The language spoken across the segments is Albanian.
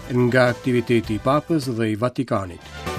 Nga aktiviteti i Papës dhe i Vatikanit.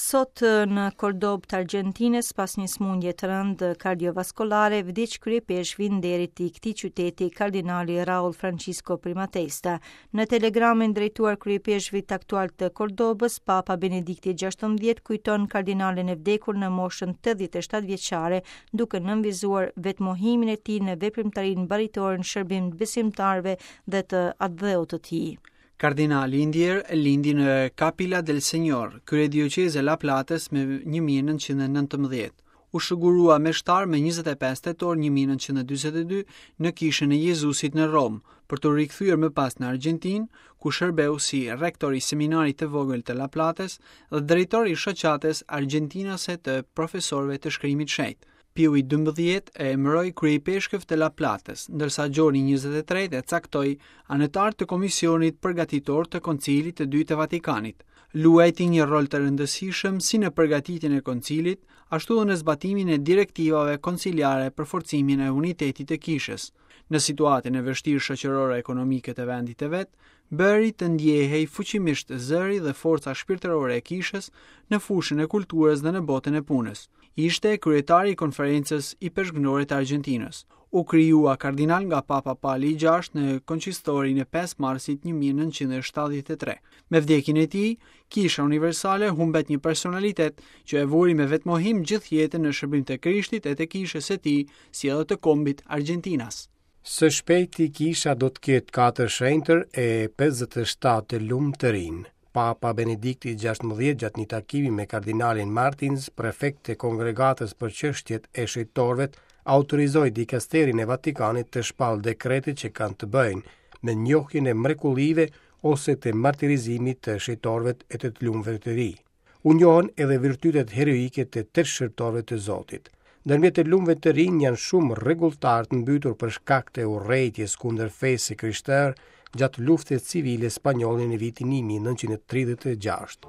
Sot në Kordobë të Argjentinës, pas një sëmundje të rëndë kardiovaskulare, vdiq kryeipeshkvi i nderit i këtij qyteti, kardinali Raul Francisco Primatesta. Në telegramin drejtuar kryeipeshkvit aktual të Kordobës, Papa Benedikti XVI kujton kardinalin e vdekur në moshën 87 vjeçare, duke nënvizuar vetëmohimin e tij në veprimtarinë baritore në shërbim të besimtarëve dhe të atdheut të tij. Kardinali i ndjerë lindi në Capilla del Señor, kryedioqezë e La Platës më 1919. U shugurua meshtar më 25 tetor 1942 në Kishën e Jezusit në Romë, për t'u rikthyer më pas në Argjentinë, ku shërbeu si rektor i Seminarit të Vogël të La Platës dhe drejtor i Shoqatës Argjentinase të Profesorëve të Shkrimit Shenjt. Piu i 12 e emëroi kryeipeshkëv të La Platës, ndërsa Gjoni 23 e caktoi anëtar të Komisionit Përgatitor të Koncilit të Dytë të Vatikanit. Luajti një rol të rëndësishëm si në përgatitjen e koncilit, ashtu edhe në zbatimin e direktivave konciliare për forcimin e unitetit të kishës. Në situatën e vështirë shoqërore ekonomike të vendit të vet, bëri të ndjehej fuqimisht zëri dhe forca shpirtërore e kishës në fushën e kulturës dhe në botën e punës. Ishte kryetari i Konferencës Ipeshkvnore të Argjentinës. U krijua kardinal nga Papa Pali i VI në konsistorin e 5 marsit 1973. Me vdekjen e tij, Kisha Universale humbet një personalitet që e vuri me vetëmohim gjithë jetën në shërbim të Krishtit e të kishës së tij, si edhe të kombit argjentinas. Së shpejti kisha do të ketë katër shenjtër e 57 të lumë të rinj. Papa Benedikti XVI gjatë një takimi me kardinalin Martins, prefekt të Kongregatës për çështjet e shenjtorëve, autorizoi dikasterin e Vatikanit të shpallë dekrete që kanë të bëjnë me njohjen e mrekullive ose të martirizimit të shenjtorëve e të të lumëve të rinj. U njohën edhe virtytet heroike të tetë shërbëtorëve të Zotit. Ndërmjet të lumëve të rinj janë shumë rregulltarë të mbytur për shkak të urrejtjes kundër fesë së krishterë gjatë luftës civile spanjolle në vitin 1936.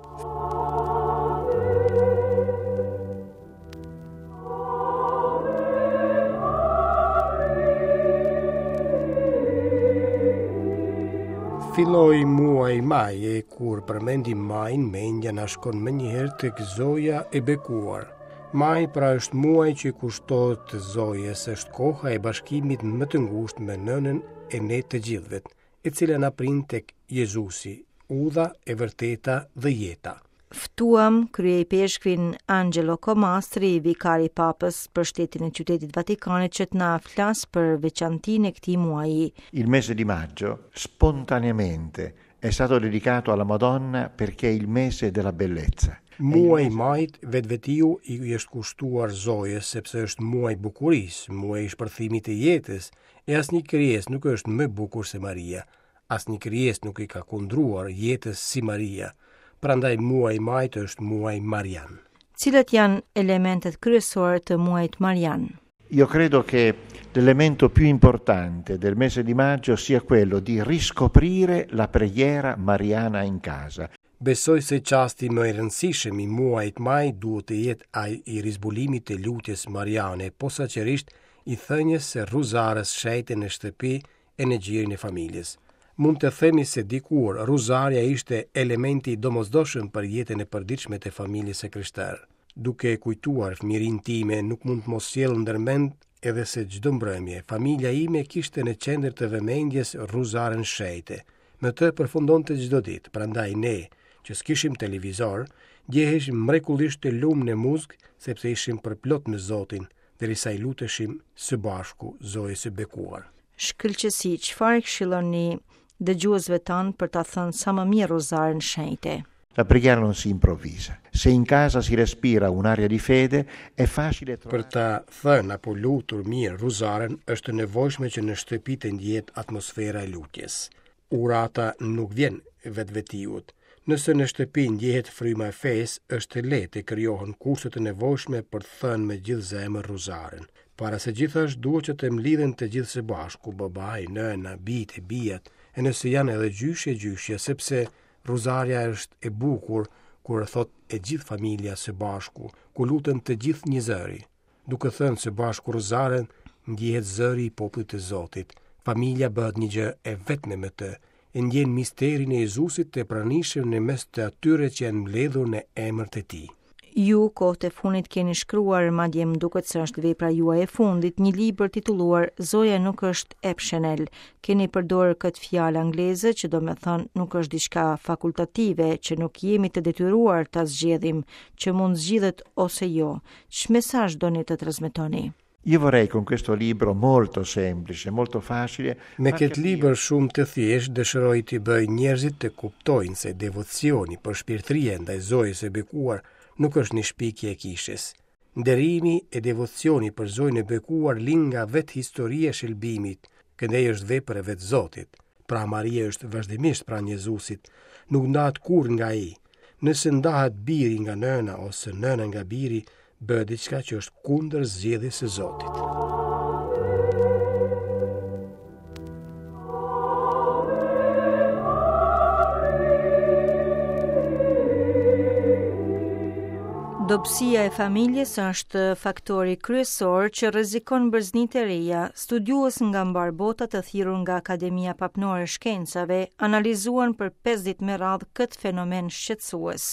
Filloi muaji maj e kur përmendim majin, mendja na shkon menjëherë tek Zoja e bekuar. Maji pra është muaj që i kushtohet Zojës, është koha e bashkimit më të ngushtë me nënën e ne të gjithëve. e cila na prin tek Jezusi, udha, e vërteta dhe jeta. Ftuam kryeipeshkvin Angelo Comastri, vikar i Papës për shtetin e Qytetit Vatikanit që të na flasë për veçantinë e këtij muaji. Il mese di maggio spontaneamente è stato dedicato alla Madonna perché è il mese della bellezza. Muaji i majit vetvetiu i është kushtuar Zojës sepse është muaj i bukurisë, muaj i shpërthimit të jetës, E asnjë krijesë nuk është më e bukur se Maria. Asnjë krijesë nuk i ka kundruar jetës si Maria. Prandaj muaji i majit është muaj Marian. Cilët janë elementet kryesore të muajit Marian? Io credo che l'elemento più importante del mese di maggio sia quello di riscoprire la preghiera mariana in casa. Besoj se çasti më i rëndësishëm i muajit maj duhet të jetë ai i rizbulimit të lutjes mariane, posaçërisht i thënies së rruzares shenjte në shtëpi e në gjirin e familjes. Mund të themi se dikur rruzarja ishte elementi i domosdoshëm për jetën e përditshme të familjes së krishterë. Duke kujtuar fëmijërinë time, nuk mund të mos sjell ndërmend edhe se çdo mbrëmje, familja ime kishte në qendër të vëmendjes rruzaren shenjte. Me të përfundonte çdo ditë, prandaj ne, që s'kishim televizor, ndjeheshim mrekullisht të lumë në muzg, sepse ishim përplot me Zotin, derisa i luteshim së bashku Zojës së bekuar. Shkëlqesi, çfarë këshilloni dëgjuesve tanë për ta thënë sa më mirë rruzaren shenjte? La preghiera non si improvvisa. Se in casa si respira un'aria di fede, è facile trovare Për ta thënë apo lutur mirë rruzaren, është e nevojshme që në shtëpi të ndjehet atmosfera e lutjes. Urata nuk vjen vetvetiu. Nëse në shtëpi ndjehet fryma e fesë, është e lehtë të krijohen kushtet e nevojshme për të thënë me gjithë zemër rruzaren. Para së gjithash duhet që të mblidhen të gjithë së bashku, babai, nëna, bijtë e bijat, e nëse janë edhe gjyshi e gjyshja, sepse Rruzarja është e bukur kur e thotë e gjithë familja së bashku, ku luten të gjithë njëzëri. Duke thënë së bashku rruzaren, ndjehet zëri i popullit të Zotit. Familja bëhet një gjë e vetme me të, e ndjen misterin e Jezusit të pranishëm në mes të atyre që janë mbledhur në emër të tij. Ju kohët e fundit keni shkruar, madje më duket se është vepra juaj e fundit, një libër titulluar Zoja nuk është optional. Keni përdorur këtë fjalë angleze që do me thënë nuk është diçka fakultative, që nuk jemi të detyruar ta zgjedhim, që mund zgjidhet ose jo. Ç'mesazh doni të transmetoni? Io vorrei con questo libro molto semplice, molto facile. Me këtë libër shumë të thjeshtë dëshiroj t'i bëj njerëzit të kuptojnë se devocioni përshpirtëria ndaj Zojës së Bekuar nuk është një shpikje e kishës. Nderimi e devocioni për Zojën e Bekuar lind nga vetë historia e shëlbimit, këndej është vepër e vetë Zotit. Pra Maria është vazhdimisht pranë Jezusit, nuk ndahet kurrë nga ai. Nëse ndahet biri nga nëna ose nëna nga biri, bëhet diçka që është kundër zgjedhjes së Zotit. Dobësia e familjes është faktori kryesor që rrezikon breznitë e reja. Studiues nga mbarë bota të thirrur nga Akademia Papnore e Shkencave analizuan për 5 ditë me radhë këtë fenomen shqetësues.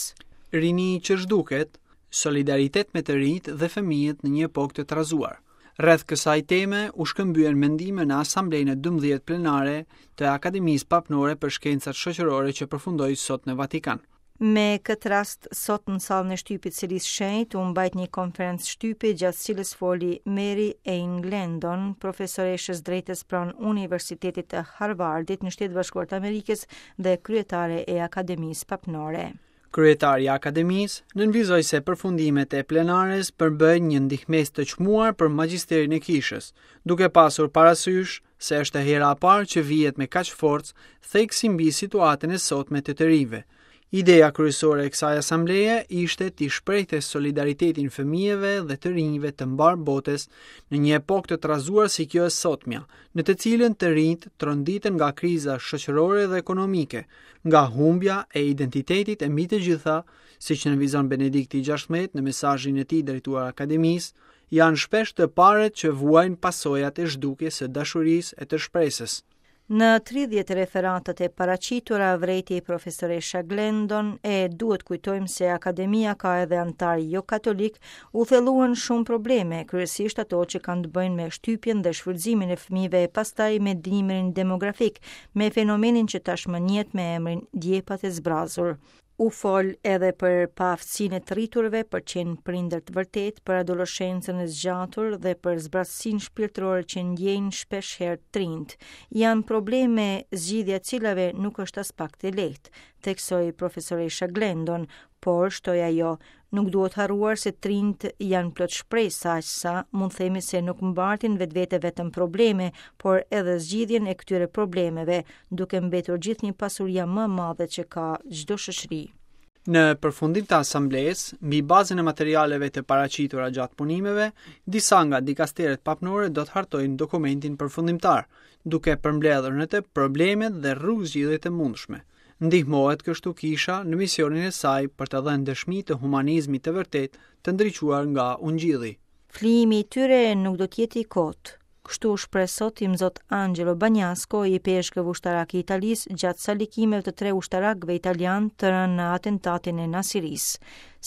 Rini që zhduket, solidaritet me të rinjtë dhe fëmijët në një epokë të trazuar. Rreth kësaj teme u shkëmbyen mendime në Asamblenë e 12 plenare të Akademisë Papnore për Shkencat Shoqërore që përfundoi sot në Vatikan. Me këtë rast, sot në sallën e shtypit Selisë Shenjtë u mbajt një konferencë shtypi gjatë cilës foli Mary Ann Glendon, profesoreshë e drejtës pranë Universitetit të Harvardit në Shtetet e Bashkuara të Amerikës dhe kryetare e Akademisë Papnore. Kryetari i Akademisë nënvizoi se përfundimet e plenares përbëjnë një ndihmesë të çmuar për magjisterin e kishës, duke pasur parasysh se është hera e parë që vihet me kaq forcë theksi mbi situatën e sotme të të rinjve. Ideja kryesore e kësaj asambleje ishte t'i shprehte solidaritetin fëmijëve dhe të rinjve të mbarë botës në një epokë të trazuar si kjo e sotmja, në të cilën të rinjtë tronditen nga kriza shoqërore dhe ekonomike, nga humbja e identitetit e mbi të gjitha, siç nënvizon Benedikti XVI në mesazhin e tij drejtuar Akademisë, janë shpesh të parët që vuajnë pasojat e zhdukjes së dashurisë e të shpresës. Në 30 referatat e paraqitura vërejti profesoresha Glendon e duhet kujtojmë se akademia ka edhe anëtarë jo katolikë, u thelluan shumë probleme, kryesisht ato që kanë të bëjnë me shtypjen dhe shfrytëzimin e fëmijëve e pastaj me dimrin demografik, me fenomenin që tashmë njihet me emrin djepat e zbrazur. U fol edhe për paaftësinë e të rriturve për qenë prindër të vërtetë, për adoleshencën e zgjatur dhe për zbrazësinë shpirtërore që ndjejnë shpesh herë të rinjtë. Janë probleme zgjidhja e cilave nuk është aspak e lehtë, theksoi profesoresha Glendon, por shtoi ajo, Nuk duhet harruar se të rinjtë janë plot shpresa, aq sa mund themi se nuk mbartin vetvete vetëm probleme, por edhe zgjidhjen e këtyre problemeve, duke mbetur gjithnjë pasuria më e madhe që ka çdo shoqëri. Në përfundim të asamblesë, mbi bazën e materialeve të paraqitura gjatë punimeve, disa nga dikasteret papnore do të hartojnë dokumentin përfundimtar, duke përmbledhur në të problemet dhe rrugëzgjidhjet e mundshme. Ndihmohet kështu kisha në misionin e saj për të dhënë dëshmi të humanizmit të vërtetë të ndriçuar nga Ungjilli. Flijimi i tyre nuk do të jetë i kotë. Kështu u shpreh sot Imzot Angelo Bagnasco, ipeshkëv ushtarak i Italisë, gjatë salikimeve të tre ushtarakëve italianë të rënë në atentatin e Nasirisë.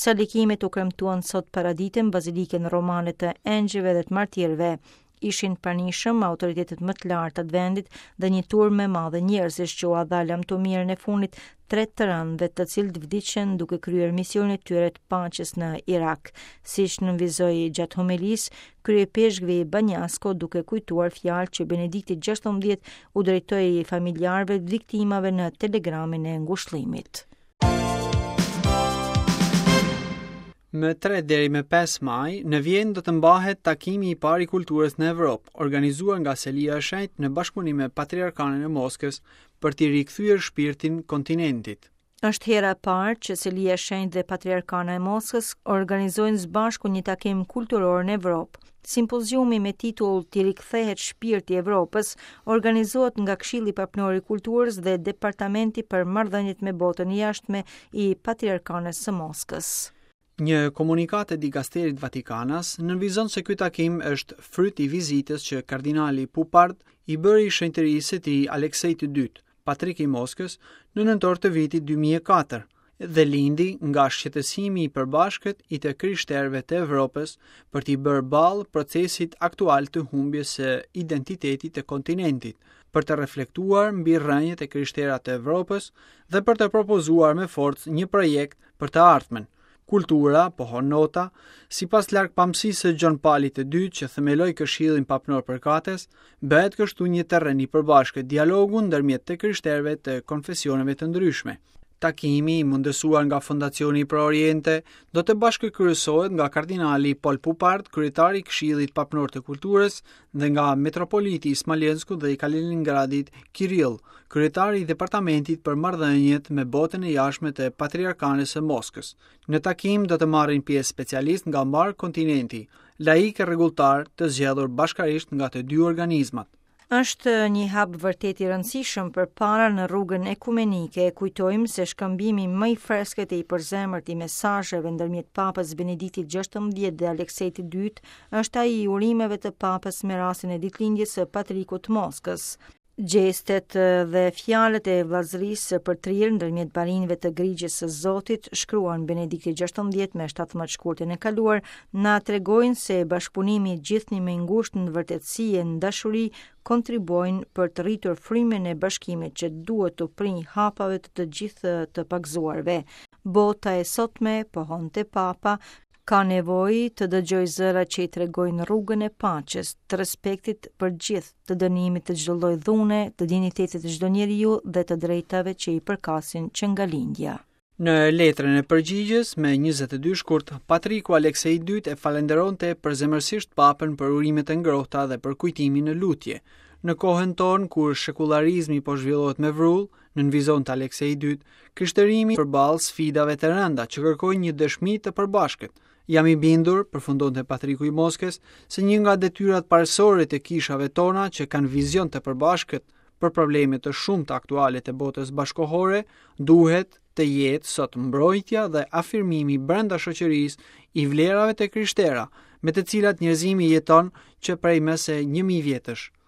Salikimet u kremtuan sot paradite në Bazilikën Romane të Engjëjve dhe të Martirëve. Ishin pranishëm autoritetet më të larta të vendit dhe një turmë e madhe njerëzish që ua dha lamtumirën e fundit tre të rënëve të cilët vdiqën duke kryer misionin e tyre të paqes në Irak, siç nënvizoi gjatë homilisë kryeipeshkvi Bagnasco duke kujtuar fjalët që Benedikti XVI u drejtoi familjarëve të viktimave në telegramin e ngushëllimit. Më 3 deri më 5 maj, në Vjenë do të mbahet takimi i parë i kulturës në Evropë, organizuar nga Selia e Shenjtë në bashkëpunim me Patriarkanën e Moskës për t'i rikthyer shpirtin kontinentit. Është hera e parë që Selia e Shenjtë dhe Patriarkana e Moskës organizojnë së bashku një takim kulturor në Evropë. Simpoziumi me titull T'i rikthehet shpirti Evropës organizohet nga Këshilli Papnor i Kulturës dhe Departamenti për Marrëdhëniet me Botën e Jashtme i Patriarkanës së Moskës. Një komunikatë e dikasterit vatikanas nënvizon se ky takim është fryt i vizitës që kardinali Pupard i bëri shenjtërisë së tij Aleksej të Dytë, Patrik i Moskës, në nëntor të vitit 2004 dhe lindi nga shqetësimi i përbashkët i të krishterëve të Evropës për t'i bërë ballë procesit aktual të humbjes së identitetit të kontinentit, për të reflektuar mbi rrënjët e krishtera të Evropës dhe për të propozuar me forcë një projekt për të ardhmen. Kultura, pohon nota, sipas largpamësisë së Gjon Palit të Dytë që themeloi Këshillin Papnor përkatës, bëhet kështu një terren i përbashkët dialogu ndërmjet të krishterëve të konfesioneve të ndryshme. Takimi, i mundësuar nga Fondacioni Pro Oriente, do të bashkëkryesohet nga kardinali Paul Pupard, kryetar i Këshillit Papnor të Kulturës, dhe nga metropoliti i Smolenskut dhe i Kaliningradit, Kirill, kryetar i Departamentit për Marrëdhëniet me Botën e Jashtme të Patriarkanës së Moskës. Në takim do të marrin pjesë specialistë nga mbarë kontinenti, laikë e rregulltarë të zgjedhur bashkarisht nga të dy organizmat. Është një hap vërtet i rëndësishëm përpara në rrugën ekumenike. Kujtojmë se shkëmbimi më i freskët e i përzemërt i mesazheve ndërmjet Papës Benediktit XVI dhe Aleksejt të Dytë është ai i urimeve të Papës me rastin e ditëlindjes së Patrikut të Moskës. Gjestet dhe fjalët e vëllazërisë së përtrirë ndërmjet barinjve të grigjës së Zotit, shkruan Benedikti XVI me 17 shkurtin e kaluar, na tregojnë se bashkëpunimi gjithnjë më i ngushtë në vërtetësi e në dashuri kontribuojnë për të rritur frymën e bashkimit që duhet t'u prijë hapave të të gjithë të pagëzuarve. Bota e sotme, pohonte Papa, Ka nevojë të dëgjojë zëra që i tregojnë rrugën e paqes, të respektit për gjithë, të dënimit të çdo lloj dhune, të dinjitetit të çdo njeriu dhe të drejtave që i përkasin që nga lindja. Në letrën e përgjigjes, me 22 shkurt, Patriku Aleksej i Dytë e falënderonte përzemërsisht Papën për urimet e ngrohta dhe për kujtimin në lutje. Në kohën tonë, kur shekullarizmi po zhvillohet me vrull, nënvizonte Aleksej i Dytë, Krishtërimi përballë sfidave të rënda që kërkojnë një dëshmi të përbashkët. Jam i bindur, përfundonte Patriku i Moskës, se një nga detyrat parësore të kishave tona që kanë vizion të përbashkët për probleme të shumta aktuale të botës bashkëkohore, duhet të jetë sot mbrojtja dhe afirmimi brenda shoqërisë i vlerave të krishtera, me të cilat njerëzimi jeton që prej më se 1000 vjetësh.